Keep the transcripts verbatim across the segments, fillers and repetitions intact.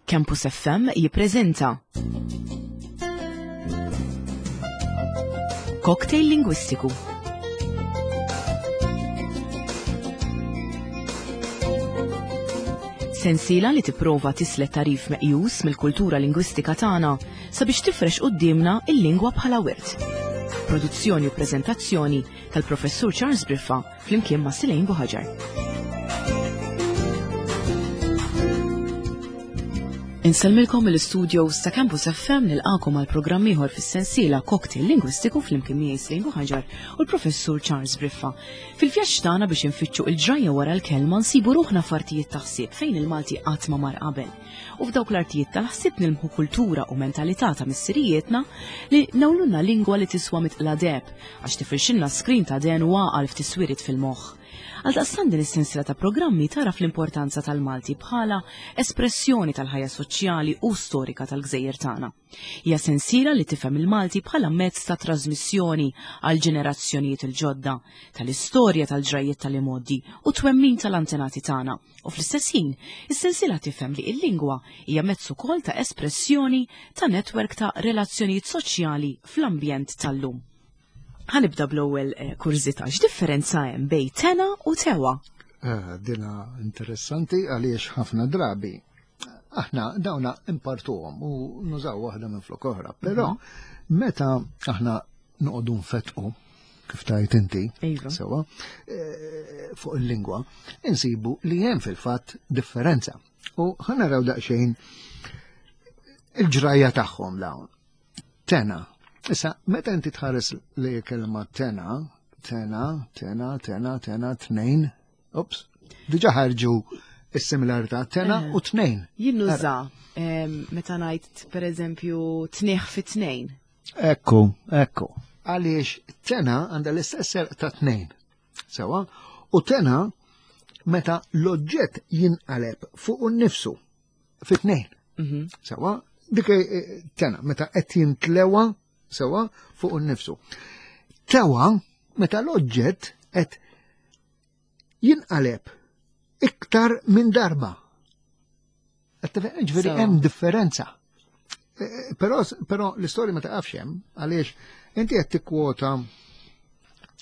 Campus F M jippreżenta Cocktail Lingwistiku. Sensiela li tipprova tislet tarif meqjus mill-kultura lingwistika tagħna sabiex tifrex quddiemna il-lingwa bħala wirt. Produzzjoni u preżentazzjoni tal-Professur Charles Briffa flimkien ma' Silejn Buħaġar. Insellmilkom mill-istudios ta' Campus F M nilqakom għal programm ieħor fis-sensiela Cocktail Lingwistiku flimkien miegħi Silejn Buħaġar u l-Professur Charles Briffa. Fil-vjaġġ tagħna biex infittxu il-ġrajja wara l-kelma nsibu ruħna f'artijiet ta' ħsieb fejn il-Malti qatt ma mar qabel. U f'dawk l-artijiet tal-ħsieb nilmħu kultura u mentalità ta' missirijietna li nawlulna lingwa li tiswa mitqla deheb għax tifirxilna skrin ta' den u għaqal f'tiswirit fil-moħħ. Għaldaqstant din is-sensiela ta' programmi tara fl-importanza tal-Malti bħala espressjoni tal-ħajja soċjali u storika tal-gżejjer tagħna. Hija sensiela li tifhem il-Malti bħala mezz ta' trasmissjoni għal ġenerazzjonijiet il-ġodda, tal-istorja tal-ġrajjiet tal-imgħoddi u twemmin tal-antenati tagħna. U fl-istess ħin, is-sensiela tifhem li l-lingwa hija mezz ukoll ta' espressjoni ta' netwerk ta' relazzjonijiet soċjali fl-ambjent tal-lum. Ħanibda bl-ewwel, eh, kurżità, x'differenza hemm bejn tena u tewa? Eh, dina interessanti għaliex ħafna drabi aħna dawna impartuhom u nużaw waħda minn flok oħra, però Mhm. meta aħna noqogħdu nfetqu kif tajt inti, Iva. sewa, eh, fuq il-lingwa, insibu li hemm fil-fatt differenza. U ħanaraw daqsxejn il-ġrajja tagħhom dawn. Tena. Issa, meta inti tħares li kelma tena, tena, tena, tena, tena, tnejn, ups, diġa ħarġu is-similarità tena Eh. u tnejn. Jien nuża, ehm, meta ngħid pereżempju tnieħ fi tnejn. Ekku, ekku. Għaliex tena għandha l-istess serq ta' tnejn. Sewa, u tena meta l-oġġett jinqaleb fuq innifsu fi tnejn. Mhm. Sewa, dik, eh, tena meta qed jintlewa sewa fuq innifsu. Tewa meta l-oġġett qed jinqaleb iktar minn darba. Qed tifhem? Ġifieri Sewa. hemm differenza. Eh, eh, però, però l-istorja ma taqafx hemm għaliex inti qed tikkwota,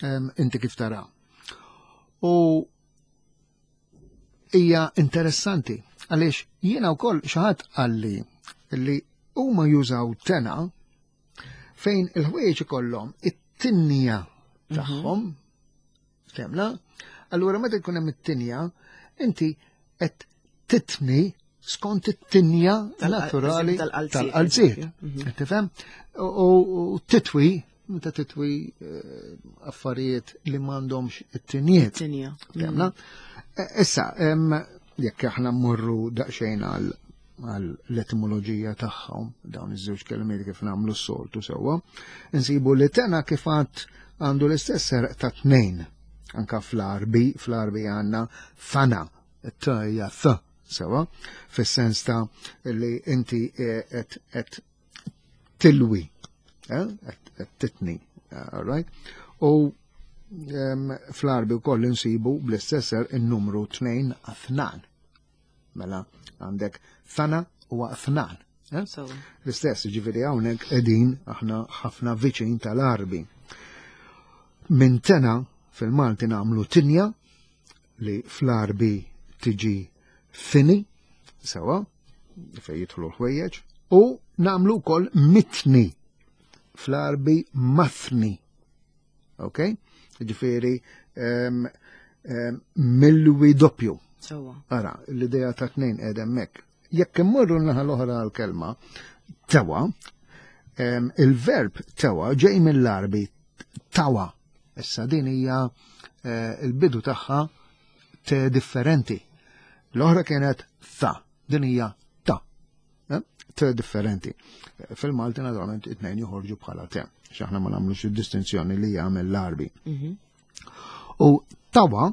ehm, inti kif tara. U hija interessanti għaliex jiena wkoll xi ħadd qalli li huma jużaw tena fejn il-ħwejjeġ ikollhom it-tinnija Mhm. tagħhom, temna, allura meta jkun hemm it-tinja, inti qed titni skont it-tinja Tal-qal- naturali tal-qalziet, tal-qalziet. eżempju. Mhm. Qed tifhem? U, u, u titwi, meta titwi, eh, affarijiet li m'għandhomx it-tinjiet. Tinja. Temna? Mhm. E, issa, em, jekk aħna mmorru daqsxejn għal, għal l-etimoloġija tagħhom, dawn iż-żewġ kelmiet kif nagħmlu s-soltu sewwa, insibu li tena kif għad għandu l-istess serq ta' tnejn. Anka fl-Arbi, fl-Arbi għandna thana, t hija th, sewwa, fis-sens ta' li inti qed, qed tilwi, eh, qed, qed titni, all right? U, em, fl-Arbi wkoll insibu bl-istess serq in-numru tnejn għathnan. Mela għandek thana u għathnan. Eh? So. L-istess, ġifieri hawnhekk qegħdin aħna ħafna viċin tal-Arbi. Minn tena fil-Malti nagħmlu tinja li fl-Arbi tiġi fini, sewa, fejn jidħlu l-ħwejjeġ, u nagħmlu wkoll mitni fl-Arbi mathni. Ok? Ġifieri, em, em, milwi doppju. Sewa. Ara, l-idea ta' tnejn qiegħda hemmhekk. Jekk immorru n-naħa l-oħra għall-kelma tewa, em, il-verb tewa ġej mill-Arbi tawa. Issa din hija, eh, il-bidu tagħha te differenti. L-oħra kienet tha, din hija ta. Eh, te differenti. Fil-Malti naturalment it-tnejn joħorġu bħala te, għax aħna ma nagħmlux id-distinzjoni li jagħmel l-Arbi. Mhm. U tawa,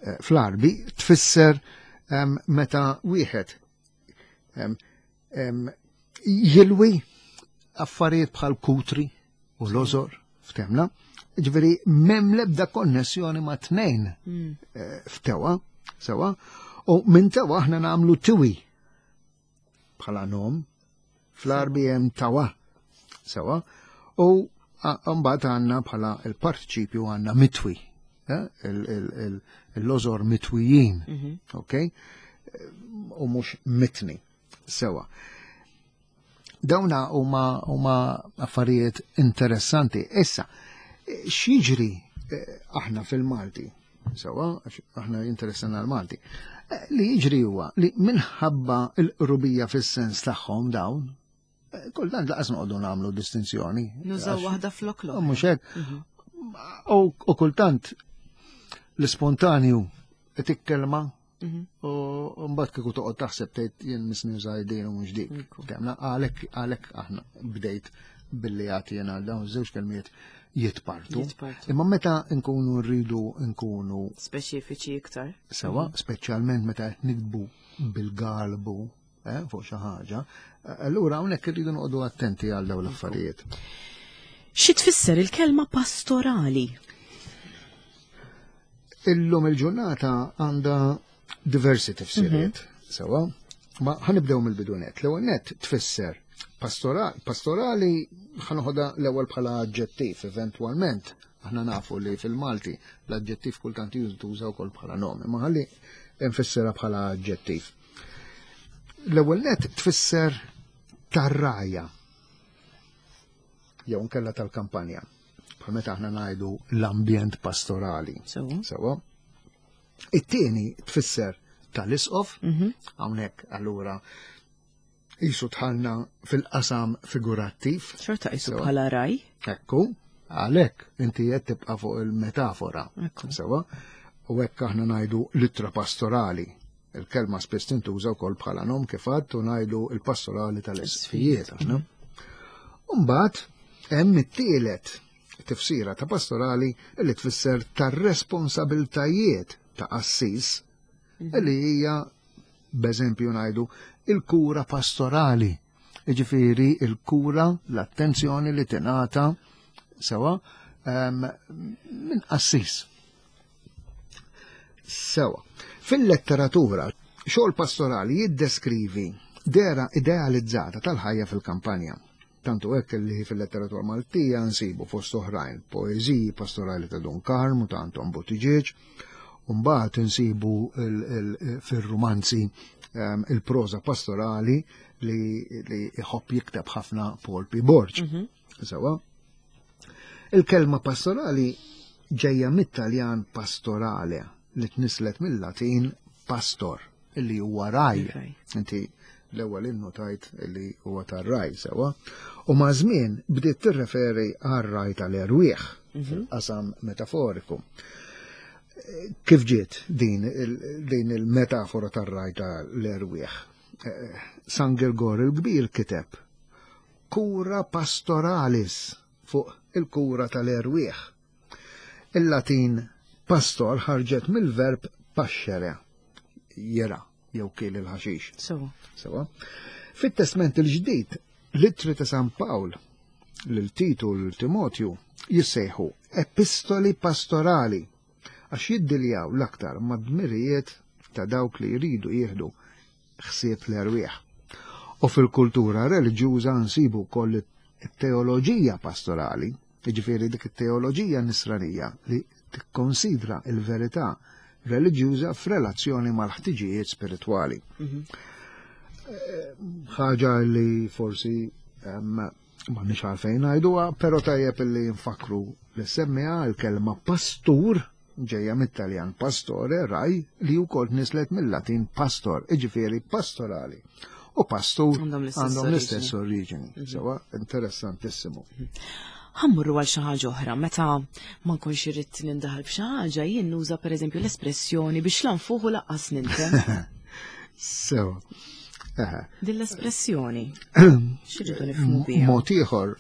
eh, fl-Arbi tfisser, em, meta wieħed, em, em, jilwi affarijiet bħal kutri u lożor, ftemna, ġifieri m'hemm l-ebda konnessjoni ma' tnejn, Mm. eh, f'tewa, sewa, u minn tewa aħna nagħmlu tiwi. bħala nom, fl-Għarbi hemm tawa, sewa, u mbagħad għandna bħala il-partiċipju għandna mitwi, eh, il-lożor mitwijin, mhm. ok? U mhux mitni, sewa. Dawna huma huma affarijiet interessanti. Issa, x'jiġri eh, aħna fil-Malti, sewa, aħna interessana l-Malti, eh, li jiġri huwa li minħabba l-qrubija fis-sens tagħhom dawn, eh, kultant lanqas noqogħdu nagħmlu distinzjoni. Nużaw waħda flok l Mhux hekk. Mhm. U kultant l-ispontanju tikkelma mhm. u mbagħad kieku toqgħod taħseb tgħid jien misni din u mhux dik. Għalhekk għalhekk aħna bdejt billi għati jena dawn żewġ kelmiet jitpartu. Imma meta nkunu rridu nkunu speċifiċi iktar. Sewa, mhm. speċjalment meta qed nikbu bil-galbu eh, fuq xi ħaġa, allura hawnhekk irridu noqogħdu attenti għal dawn l-affarijiet. Xi tfisser il-kelma pastorali? Illum il-ġurnata għandha diversi tifsiriet, mhm. sewa, ma ħanibdew mill-bidunet. L-ewwel net tfisser pastorali ħanoħodha l-ewwel bħala aġġettiv eventwalment. Aħna nafu li fil-Malti l-aġġettiv kultant jintuża wkoll bħala nom, imma ħalli nfissirha bħala aġġettiv. L-ewwel net tfisser tar-rgħajja jew nkella tal-kampanja. Bħal meta aħna ngħidu l-ambjent pastorali. Sewa. It-tieni tfisser tal-isqof, mhm. hawnhekk allura jisu dħalna fil-qasam figurattiv. Xorta jisu bħala raj. Ekku, għalhekk inti qed tibqa' fuq il-metafora. Sewa, u hekk aħna ngħidu l-ittra pastorali. Il-kelma spiss tintuża wkoll bħala nom kif għadt u ngħidu il-pastorali tal-isqfijiet aħna. Mbagħad hemm it-tielet tifsira ta' pastorali li tfisser tar-responsabiltajiet ta' qassis mhm. li hija b'eżempju ngħidu il-kura pastorali. Jiġifieri il-kura, l-attenzjoni li tingħata sewa minn qassis. Sewa. Fil-letteratura, xogħol pastorali jiddeskrivi dera idealizzata tal-ħajja fil-kampanja. Tantu hekk li fil-letteratura Maltija nsibu fost oħrajn poeżiji pastorali ta' Dun Karm u ta' Anton Buttigieg, u mbagħad insibu fir-rumanzi ehm, il-proża pastorali li jħobb jikteb ħafna Paul P. Borg. Mhm. Sewa. Il-kelma pastorali ġejja mit-Taljan pastorale li tnislet mill-Latin pastor illi huwa raj. Inti l-ewwel innotajt li huwa tar-raj sewa. U ma' żmien bdiet tirreferi għar-raj tal-erwieħ mhm. fil-qasam metaforiku. Kif ġiet din, din il-metafora tar-raj tal-erwieħ? Eh, San Girgor il-Kbir kiteb kura pastoralis fuq il-kura tal-erwieħ. Il-Latin pastor ħarġet mill-verb pascere, jera jew kiel il-ħaxix. Sewa. Sewa. Fit-Testment il-Ġdid, l-ittri ta' San Pawl lil Titu lil Timotju jissejħu epistoli pastorali għax jiddiljaw l-aktar mad-dmirijiet ta' dawk li jridu jieħdu ħsieb l-erwieħ. U fil-kultura reliġjuża nsibu wkoll it-teoloġija pastorali, jiġifieri dik it-teoloġija nisranija li tikkonsidra il-verità reliġjuża f'relazzjoni mal-ħtiġijiet spiritwali. Mhm. Eh, ħaġa li forsi ma nix għalfejn ngħiduha, però tajjeb li nfakru li semmiha l-kelma pastur ġejja mit-Taljan pastore, raj, li wkoll nislet mill-Latin pastor, iġifieri pastorali. U pastur għandhom l-istess oriġini. Mhm. Sewa, interessantissimu. Mhm. Ħammurru għal xi ħaġa oħra, meta ma nkunx irrid nindaħal f'xi ħaġa, jien nuża pereżempju l-espressjoni biex lanfuħu laqqas nintem. Sewa. Din l-espressjoni. X'irridu nifhmu biha? Mod ieħor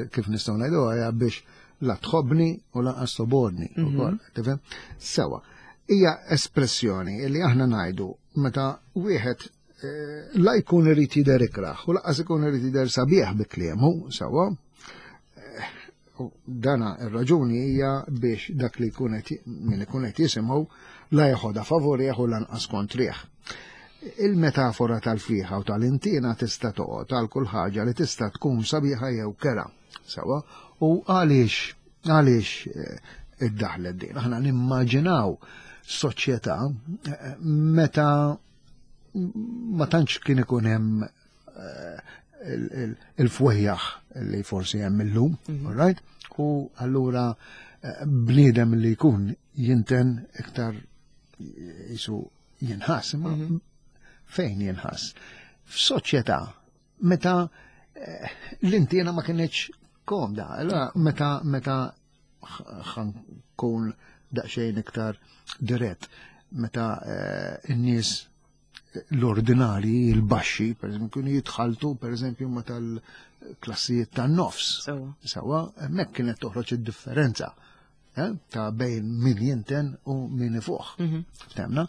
kif nistgħu ngħidu hija biex la tħobbni u lanqas tobgħodni mhm. ukoll, tifhem? Sewa. Hija espressjoni li aħna ngħidu meta wieħed eh, la jkun irid jidher ikraħ u laqas ikun irid jidher sabiħ bi kliemu, sewa. Eh, dana ir-raġuni hija biex dak li jkun qed min ikun qed jisimgħu la jeħodha favorih u lanqas kontrih. Il-metafora tal-fiħa u tal-intina tista' toqgħod għal kull ħaġa li tista' tkun sabiħa jew kera. Sawa, u għaliex għaliex eh, iddaħlet din. Aħna nimmaġinaw soċjetà eh, meta ma tantx kien ikun hemm eh, il-fwejjaħ li forsi hemm illum, mhm. all right? U allura bniedem li jkun jinten iktar jisu jinħass, imma mhm. fejn jinħass? F'soċjetà meta eh, l-intiena ma kienx komda, allora meta meta ħankun daqsxejn iktar dirett, meta eh, n-nies l-ordinari, il-baxxi, per eżempju, kienu jitħaltu, per eżempju, ma tal-klassijiet tan-nofs. Sawa, hemmhekk kienet toħroġ id-differenza eh, ta' bejn min jinten u min ifuħ. Mhm. Ftemna?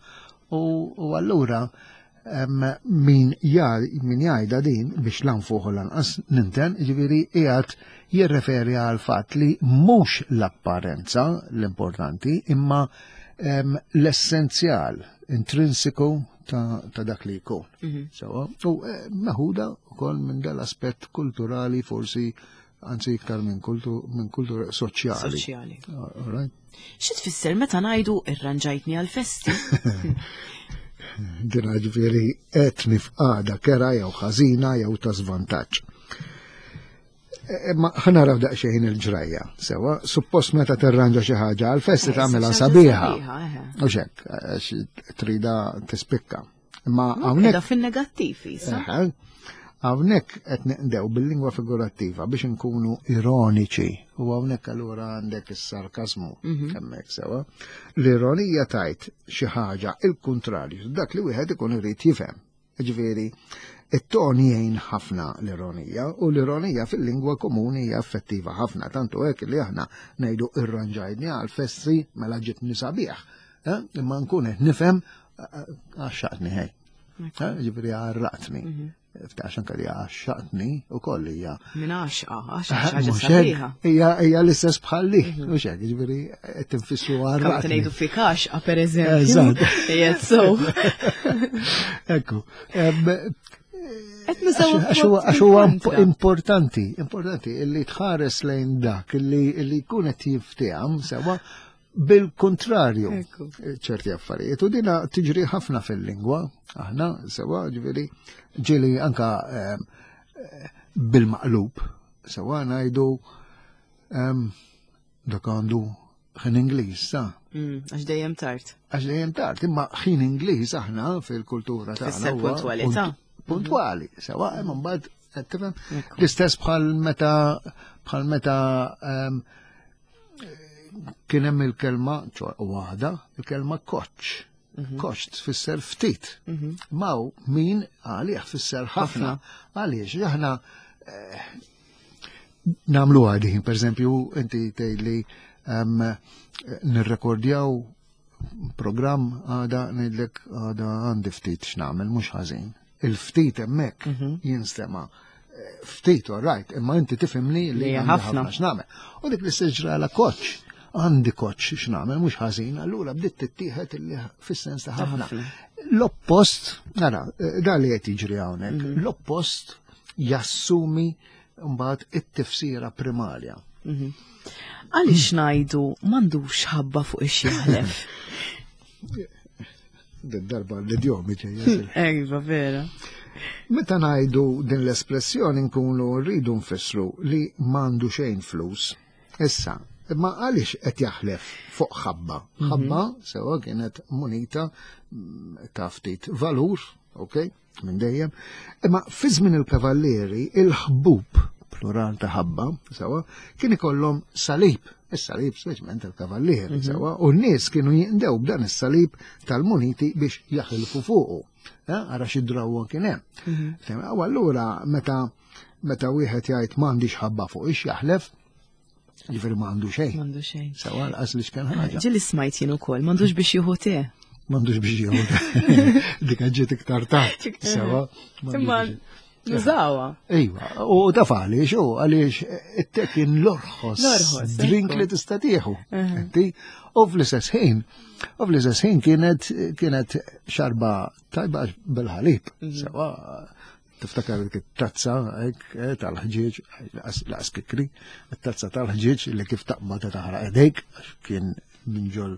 U allura min min jgħidha din biex lanfuħ u lanqas ninten, ġifieri qiegħed jirreferi għal fatt li mhux l-apparenza l-importanti, imma l-essenzjal intrinsiku ta', ta dak li jkun. Mm -hmm. U eh, meħuda wkoll minn dal-aspett kulturali forsi anzi iktar minn kultu, minn kultura soċjali. Soċjali. Right? Xi tfisser meta ngħidu irranġajtni għal-festi? Dina ġifieri qed f'qagħda kera jew ħażina jew ta' żvantaġġ. E, ma ħanaraw daqsxejn il-ġrajja, sewa, suppost meta tirranġa xi ħaġa għal-festi eh, tagħmilha sabiħa. U xek, trida tispikka. Imma hawnhekk fin-negattiv isa. Hawnhekk qed neqdew bil-lingwa figurattiva biex inkunu ironiċi u hawnhekk allura għandek is-sarkasmu mhm. hemmhekk sewa. L-ironija tajt xi ħaġa il-kuntrarju, dak li wieħed ikun irid jifhem. Ġifieri, it-ton jgħin ħafna l-ironija u l-ironija fil-lingwa komuni hija effettiva ħafna, tantu hekk li aħna ngħidu irranġajtni għal festi mela ġitni sabiħ. Eh? Imma nkun qed nifhem eh, għaxxaqtni ħej. Eh, ġifieri għarraqtni. Mhm. Ftax anka li għaxxaqtni u koll hija. Min għaxqa, għaxqa ħaġa sabiħa. Hija hija l-istess bħalli, mhm. u xek, ġifieri qed tinfissu għarraqtni. Kamp ngħidu fik għaxqa pereżempju. Eżatt. So. Ekku. Għax huwa importanti, importanti illi tħares lejn dak illi jkun qed jifteham sewa bil-kontrarju ċerti affarijiet. U dina tiġri ħafna fil-lingwa, aħna sewa ġifieri ġieli anka ehm, bil-maqlub, sewa ngħidu ehm, dak għandu ħin Ingliż, sa. Mm, għax dejjem tard. Għax dejjem tard, imma ħin Ingliż aħna fil-kultura tagħna. Puntwalità. Puntwali, sewa, imma mbagħad tifhem l-istess bħal meta bħal meta ehm, kien hemm il-kelma waħda, il-kelma koċ. Mhm. Koċ tfisser ftit. Mhm. Maw min għalih tfisser ħafna. Għaliex aħna eh, namlu għadin, per eżempju, inti tgħidli ehm, nirrekordjaw program għada ngħidlek għada għandi ftit x'nagħmel mhux ħażin. Il-ftit hemmhekk mhm. jinstema' eh, ftit, all right, imma inti tifhimni li ħafna x'nagħmel. U dik l-istess ġrala koċ għandi koċ x'nagħmel mhux ħażin, allura bdiet tittieħed illi fis-sens ta' ħafna. L-oppost, nara, eh, da li qed jiġri hawnhekk, mhm. l-oppost jassumi mbagħad it-tifsira primarja. Mhm. Għaliex ngħidu m'għandux ħabba fuq ix-jaħlef? Darba l-idjomi ġejja. Ejva, vera. Meta ngħidu din l-espressjoni nkunu rridu nfissru li m'għandu xejn flus. Issa, imma għaliex qed jaħlef fuq ħabba? Mhm. Ħabba sewa kienet munita mm, ta' ftit valur, ok? Minn dejjem. Imma fi żmien il-kavallieri il-ħbub plural ta' ħabba, sewa, kien ikollhom salib, is-salib speċjalment il-kavallieri, mhm. sewa, u n-nies kienu jinqdew b'dan is-salib tal-muniti biex jaħilfu fuqu. Eh, ara xi drawwa kien hemm. Mhm. U allura meta meta wieħed jgħid m'għandix ħabba fuq ix jaħlef, Ġifieri ma għandu xejn. M'għandu xejn. Sewa l-qas li x'kien ħaġa. Ġieli smajt jien ukoll, m'għandux biex jieħu te. M'għandux biex jieħu te. Dik ġiet iktar tard. Sewa. Imma Nużawha. Iva, u taf għaliex, u għaliex it-te kien l-orħos L-orħos, drink ekku. li tista' tieħu. Inti, u fl-istess ħin, u fl-istess ħin kienet kienet xarba tajba bil-ħalib. Sewa, tiftakar dik it-tazza hekk, eh, tal-ħġieġ, laqas laqas kikri, it-tazza tal-ħġieġ li kif taqbad taħraq idejk, għax kien minn ġol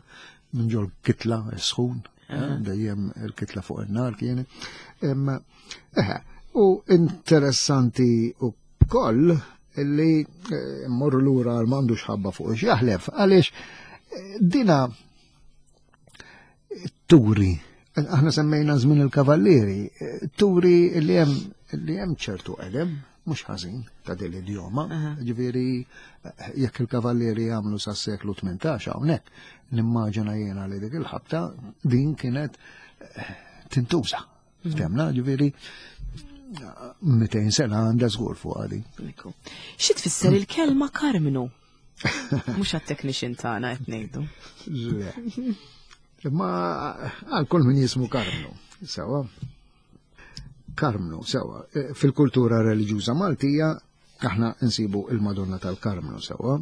minn ġol kitla sħun, eh, dejjem il-kitla fuq in-nar kienet. Imma, eħe, u interessanti u koll illi eh, mmorru lura għal m'għandux ħabba fuq x'jaħlef, għaliex eh, dina turi, aħna semmejna żmien il-kavallieri, eh, turi li hemm li hemm ċertu qedem, mhux ħażin ta' din l-idjoma, ġifieri eh, jekk il-kavallieri jagħmlu sas-seklu tmintax hawnhekk, nimmaġina jiena li dik il-ħabta din kienet eh, tintuża. Ftemna, ġifieri mitejn sena għandha żgur fuq għadi. Ekku. Xi tfisser il-kelma Karmnu? Mhux għat-technician tagħna qed ngħidu. Le. Imma għal kull min jismu Karmnu, sewa. Karmnu, sewa. Eh, Fil-kultura reliġjuża Maltija aħna nsibu il-Madonna tal-Karmnu, sewa.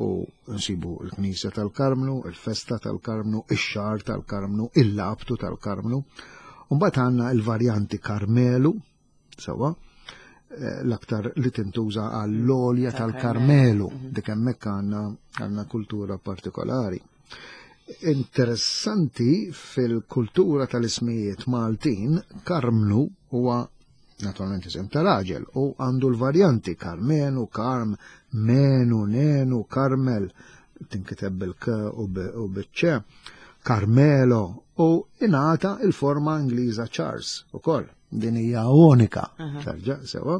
U nsibu il-Knisja tal-Karmnu, il-Festa tal-Karmnu, ix-Xahar tal-Karmnu, il-Labtu tal-Karmnu. Mbagħad għandna il-varjanti Karmelu, sewa, eh, l-aktar li tintuża għall-olja tal-Karmelu, dik hemmhekk għandna għandna kultura partikolari. Interessanti fil-kultura tal-ismijiet Maltin, Karmnu huwa naturalment isem ta' raġel u għandu l-varjanti Karmenu, Karm, Menu, Nenu, Karmel, tinkiteb bil-K u bil-C, Carmelo u ingħata il-forma Ingliża Charles ukoll. Din hija unika, tarġa' sewa.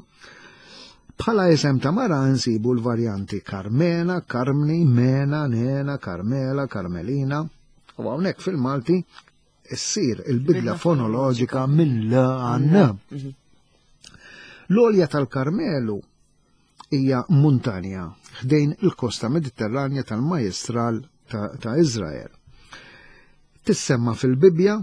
Bħala isem ta' mara nsibu l-varjanti Carmena, Carmni, Mena, Nena, Carmela, Carmelina. U hawnhekk fil-Malti issir il-bidla fonoloġika minn L għal N. L-olja tal-Karmelu hija muntanja ħdejn il-kosta Mediterranja tal-Majestral ta', ta Izrael. Tissemma fil-Bibja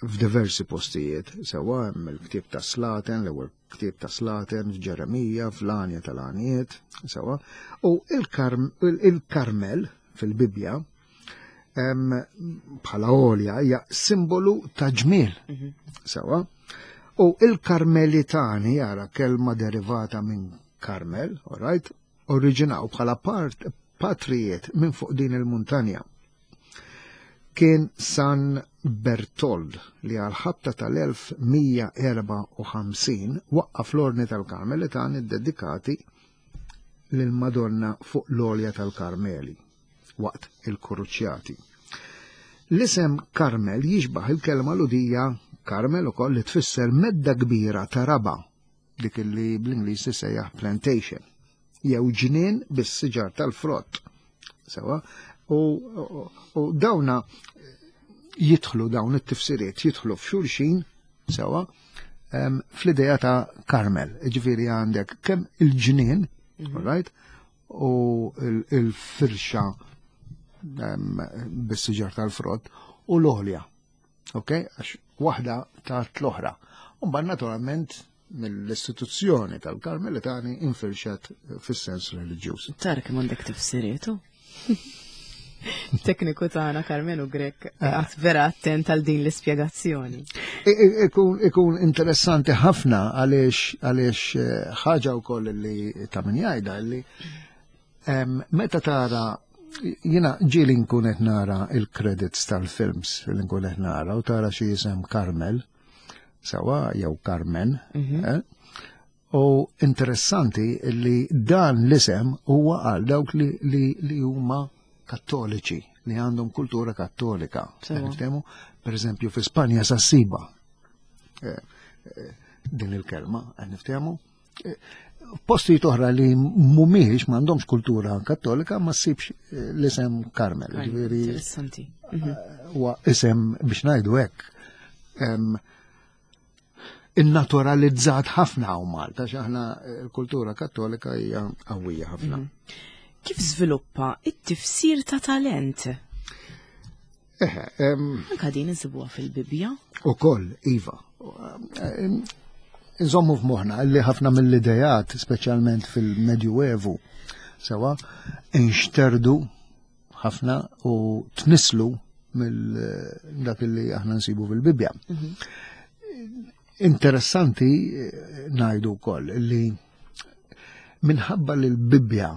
f'diversi postijiet, sewa hemm il-ktieb ta' Slaten, l-ewwel ktieb ta' Slaten, f'Ġeremija, fl-Għanja tal-Għanjiet, sewa, u il-Karmel fil-Bibja bħala olja hija simbolu ta' ġmiel, sewa, u il-Karmelitani, jara kelma derivata minn Karmel, all right, oriġinaw bħala part patrijiet minn fuq din il-muntanja. Kien San Bertold li għal-ħabta tal-elf mija erbgħa u ħamsin waqqaf l-ordni tal-Karmelitani dedikati lil-Madonna fuq l-olja tal-Karmeli waqt il-Kruċjati. L-isem Karmel jixbaħ il-kelma Lhudija Karmel ukoll li tfisser medda kbira ta' raba, dik li bl-Ingliż sejjaħ plantation, jew ġnien bis-siġar tal-frott. Sewa, u, u, u dawna jidħlu dawn it-tifsiriet jidħlu f'xulxin sewa em, fl-idea ta' Karmel. Ġifieri għandek kemm il-ġnien, mm right, u il-firxa bis-siġar tal-frott u l-olja. Ok? Għax waħda ta' l-oħra. Mbagħad naturalment mill-istituzzjoni tal-Karmelitani infirxet fis-sens reliġjuż. Tara kemm għandek tifsirietu. Tekniku tagħna Karmenu Grek għat vera attent għal din l-ispjegazzjoni. Ikun ikun interessanti ħafna għaliex għaliex eh, ħaġa wkoll li ta' min jgħidha li em, meta tara, jiena ġieli nkun qed nara il-credits tal-films li nkun qed nara u tara xi jisem Carmel sewa jew Carmen, eh? U interessanti li dan l-isem huwa għal dawk li, li, li huma kattoliċi, li għandhom kultura kattolika. Sewa. Niftehmu, per eżempju, fi Spanja sa ssiba eh, eh, din il-kelma, qed niftehmu. Eh, Postijiet oħra li mhumiex m'għandhomx kultura kattolika ma ssibx eh, l-isem Carmel. Ġifieri Interessanti. Mhm. huwa isem biex ngħidu hekk em, innaturalizzat ħafna hawn Malta, għax aħna l-kultura kattolika hija qawwija ħafna. Kif żviluppa it-tifsir ta' talent? Eħe, em, Anka din insibuha fil-Bibja. U koll, Iva. Em, Nżommu f'moħħna li ħafna mill-idejat, speċjalment fil-Medjuevu, sewa, inxterdu ħafna u tnislu mill dak li aħna nsibu fil-Bibja. Mhm. Interessanti eh, ngħidu wkoll li minħabba li l-Bibja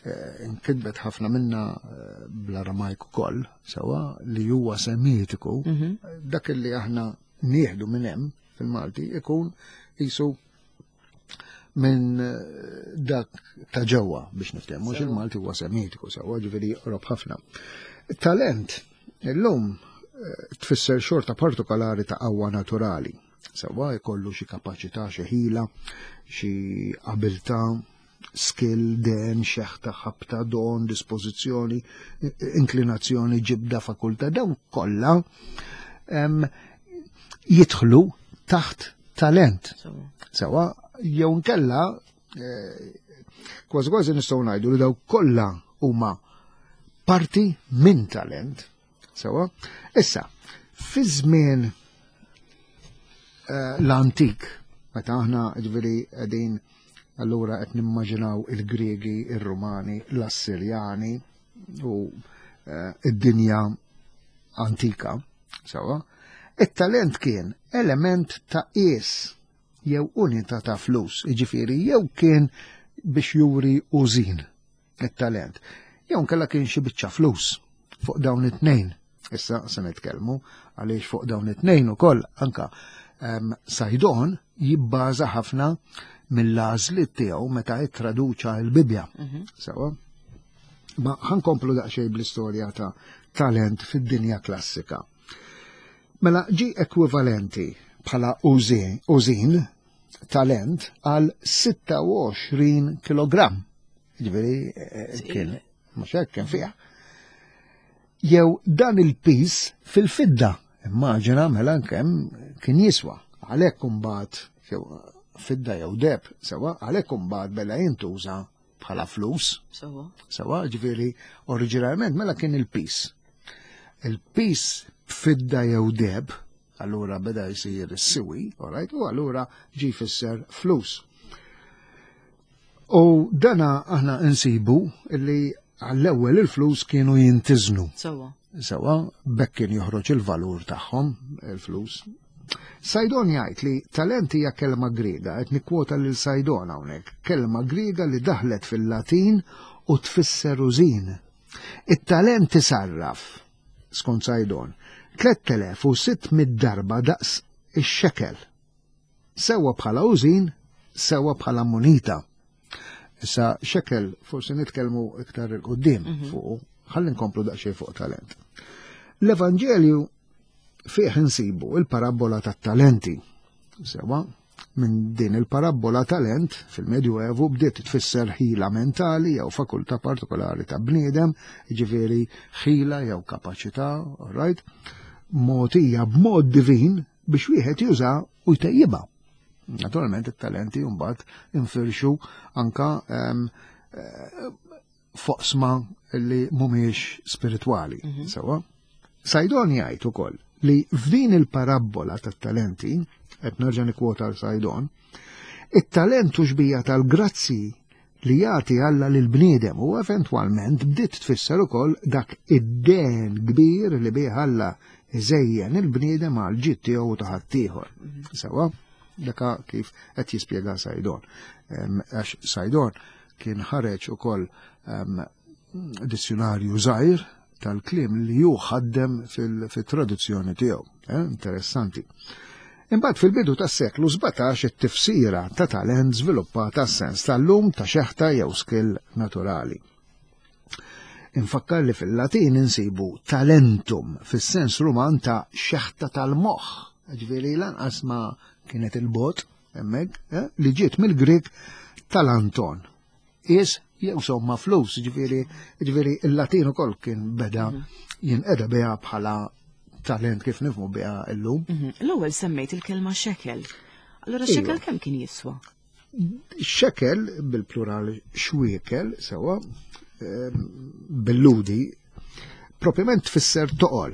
eh, nkitbet ħafna minna eh, bl-Aramajk ukoll, sewa li huwa semitiku, Mhm. dak li aħna nieħdu minn hemm fil-Malti ikun jisu minn eh, dak ta' ġewwa biex niftehmu, mhux Sewa. il-Malti huwa semitiku sewa, ġifieri joqrob ħafna. Talent illum eh, tfisser xorta partikolari ta' qawwa naturali. Sewa jkollu xi kapaċità, xi ħila, xi abilità, skill, den, xeħta, ħabta, don, dispożizzjoni, inklinazzjoni, ġibda, fakultà, dawn kollha em, jidħlu taħt talent. Sewa. Sewa, jew nkella eh, kważi kważi nistgħu ngħidu li daw kollha huma parti minn talent. Sewa, issa, fi żmien eh, l-antik, meta aħna ġifieri qegħdin allura qed nimmaġinaw il-Griegi, ir-Rumani, l-Assirjani u eh, id-dinja antika, sewa, it-talent kien element ta' qies jew unità ta' flus, jiġifieri jew kien biex juri użin it-talent, jew nkella kien xi biċċa flus fuq dawn it-tnejn. Issa se nitkellmu għaliex fuq dawn it-tnejn ukoll anka um, Saydon jibbaża ħafna mill-għażliet tiegħu meta jittraduċa l-Bibja. Mhm. Sewa. Ma ħa nkomplu daqsxejn bl-istorja ta' talent fid-dinja klassika. Mela ġi ekwivalenti bħala użin, użin talent għal sitta u għoxrin kilogram. Ġifieri eh, kien, mhux hekk kien fiha. Jew dan il-pis fil-fidda. Immaġina mela kemm kien jiswa. Għalhekk imbagħad jew fidda jew deheb, sewa, għalhekk imbagħad beda jintuża bħala flus. Sewa. Sewa, ġifieri oriġinarjament mela kien il-pis. Il-pis b'fidda jew deheb, allura beda jsir is-siwi, alright, u allura ġi fisser flus. U dana aħna insibu illi għall-ewwel il-flus kienu jintiznu. Sewa. Sewa, bekk kien joħroġ il-valur tagħhom, il-flus. Saydon jgħid li talent hija kelma Griega, qed nikkwota lil Saydon hawnhekk, kelma Griega li daħlet fil-Latin u tfisser użin. It-talent tisarraf, skont Saydon, tliet elef u sitt mitt darba daqs ix-xekel. Sewa bħala użin, sewa bħala munita. Issa xekel forsi nitkellmu iktar 'il quddiem fuq, ħalli nkomplu daqsxejn fuq talent. L-Evanġelju fih insibu il-parabbola tat-talenti. Sewa, minn din il-parabbola talent fil-Medjuevu bdiet tfisser ħila mentali jew fakultà partikolari ta' bniedem, ġifieri ħila jew kapaċità, all right, mogħtija b'mod divin biex wieħed juża u jtejjibha. Naturalment it-talenti mbagħad infirxu anka em, eh, f'oqsma li mhumiex spiritwali. Sewa. Saydon jgħid ukoll li f'din il-parabbola tat-talenti, qed nerġa' nikkwota l Saydon, it-talent hu xbieha tal-grazzi li jagħti Alla lil bniedem u eventwalment bdiet tfisser ukoll dak id-den kbir li bih Alla iżejjen il-bniedem għal ġid tiegħu u ta' ħaddieħor. Sewa, daka kif qed jispjega Saydon. Em, Għax Saydon kien ħareġ ukoll em, dizzjonarju żgħir tal-kliem li ju ħaddem fil-traduzzjoni tiegħu. Eh, interessanti. Imbagħad fil-bidu tas-seklu sbatax it-tifsira ta' talent żviluppata sens tal-lum ta' xeħta jew skill naturali. Infakkar li fil-Latin insibu talentum fis-sens Ruman ta' xeħta tal-moħħ. Ġifieri lanqas ma kienet il-bot hemmhekk, eh, li ġiet mill-Grik talanton. Is jew somma flus, ġifieri ġifieri il-Latin ukoll kien beda jinqeda biha bħala talent kif nifhmu biha illum. Mhm. L-ewwel semmejt il-kelma xekel. Allura Iva. xekel kemm kien jiswa? Xekel bil-plural xwiekel sewa ehm, bil-Lhudi propjament tfisser toqol.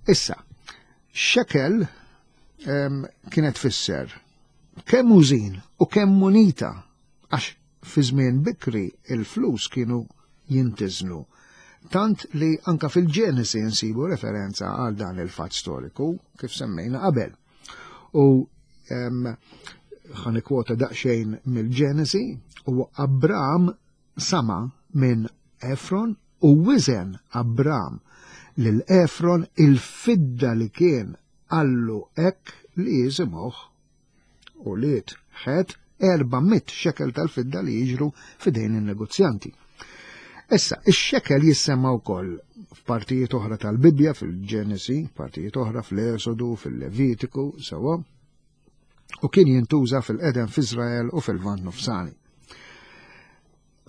Issa, xekel ehm, kienet tfisser Kemm użin u kemm munita, għax fi żmien bikri il-flus kienu jintiżnu. Tant li anka fil-Ġenesi nsibu referenza għal dan il-fatt storiku kif semmejna qabel. U ħa nikkwota daqsxejn mill-Ġenesi: "U Abram sama minn Efron u wizen Abram lil Efron il-fidda li kien qallu hekk li jisimgħuh ulied Ħet, erba' mitt xekel tal-fidda li jiġru f'idejn il-negozjanti." Issa, ix-xekel jissemma wkoll f'partijiet oħra tal-Bibja, fil-Ġenesi, partijiet oħra fl-Esodu, fil-Levitiku, sewwa, u kien jintuża fil-qedem f'Iżrael u fil-Lvant Nofsani.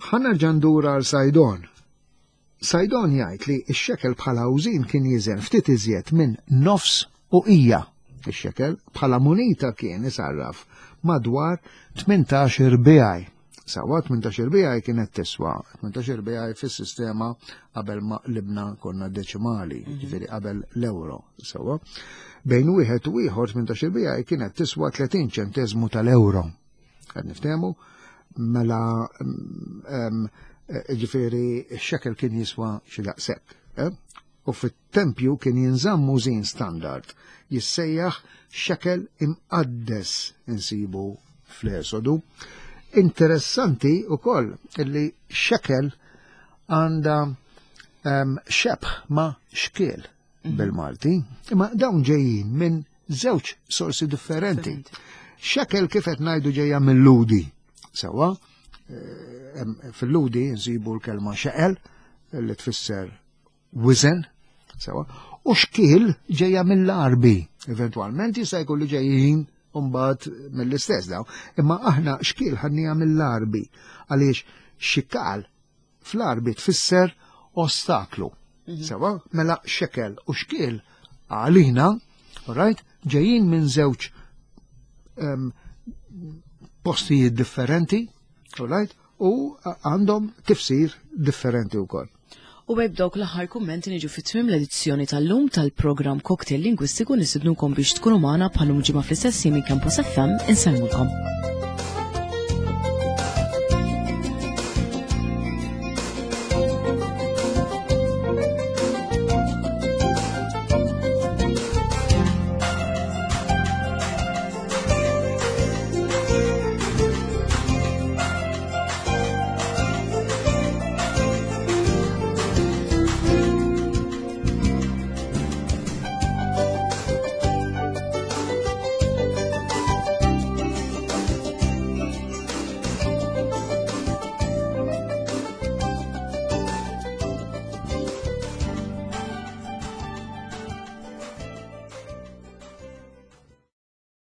Ħa nerġa' ndur għal Saydon. Saydon jgħid li x-xekel bħala użin kien jiżen ftit iżjed minn nofs uqija. Ix-xekel bħala munita kien isarraf madwar tmintax-il bijaj. Sewwa, tmintax-il bijaj kienet tiswa, tmintax-il bijaj fis-sistema qabel ma qlibna konna deċimali, mhm. ġifieri qabel l-euro, sewwa. Bejn wieħed u ieħor tmintax-il bijaj kienet tiswa tletin ċentesmu tal-euro. Qed niftehmu? Mela mm, ġifieri x-xekel kien jiswa xi daqshekk. Eh? U fit-tempju kien jinżamm użin standard jissejjaħ xekel imqaddes, insibu fl-Esodu. Interessanti ukoll illi xekel għandha um, xebħ ma' xkiel mhm. bil-Malti, imma dawn ġejjin minn żewġ sorsi differenti. Xekel, kif qed ngħidu, ġejja mill-Lhudi. Sewwa, eh, fil-Lhudi nsibu l-kelma xeqel li tfisser wizen, sewwa, u xkiel ġejja mill-Arbi. Eventualment jista' jkun li ġejjin mbagħad mill-istess daw. Imma aħna xkiel ħadnieha mill-Arbi għaliex xikal fl-Arbi tfisser ostaklu. Mhm. Sewwa, mela xekel u xkiel għalina, right, ġejjin minn żewġ um, postijiet differenti, right, u għandhom tifsir differenti wkoll. U b'dawk l-aħħar kummenti niġu fit-tmim l-edizzjoni tal-lum tal-programm Cocktail Lingwistiku. Nistednukom biex tkunu magħna bħal ġimgħa fl-istess minn Campus F M. Insellmulkom.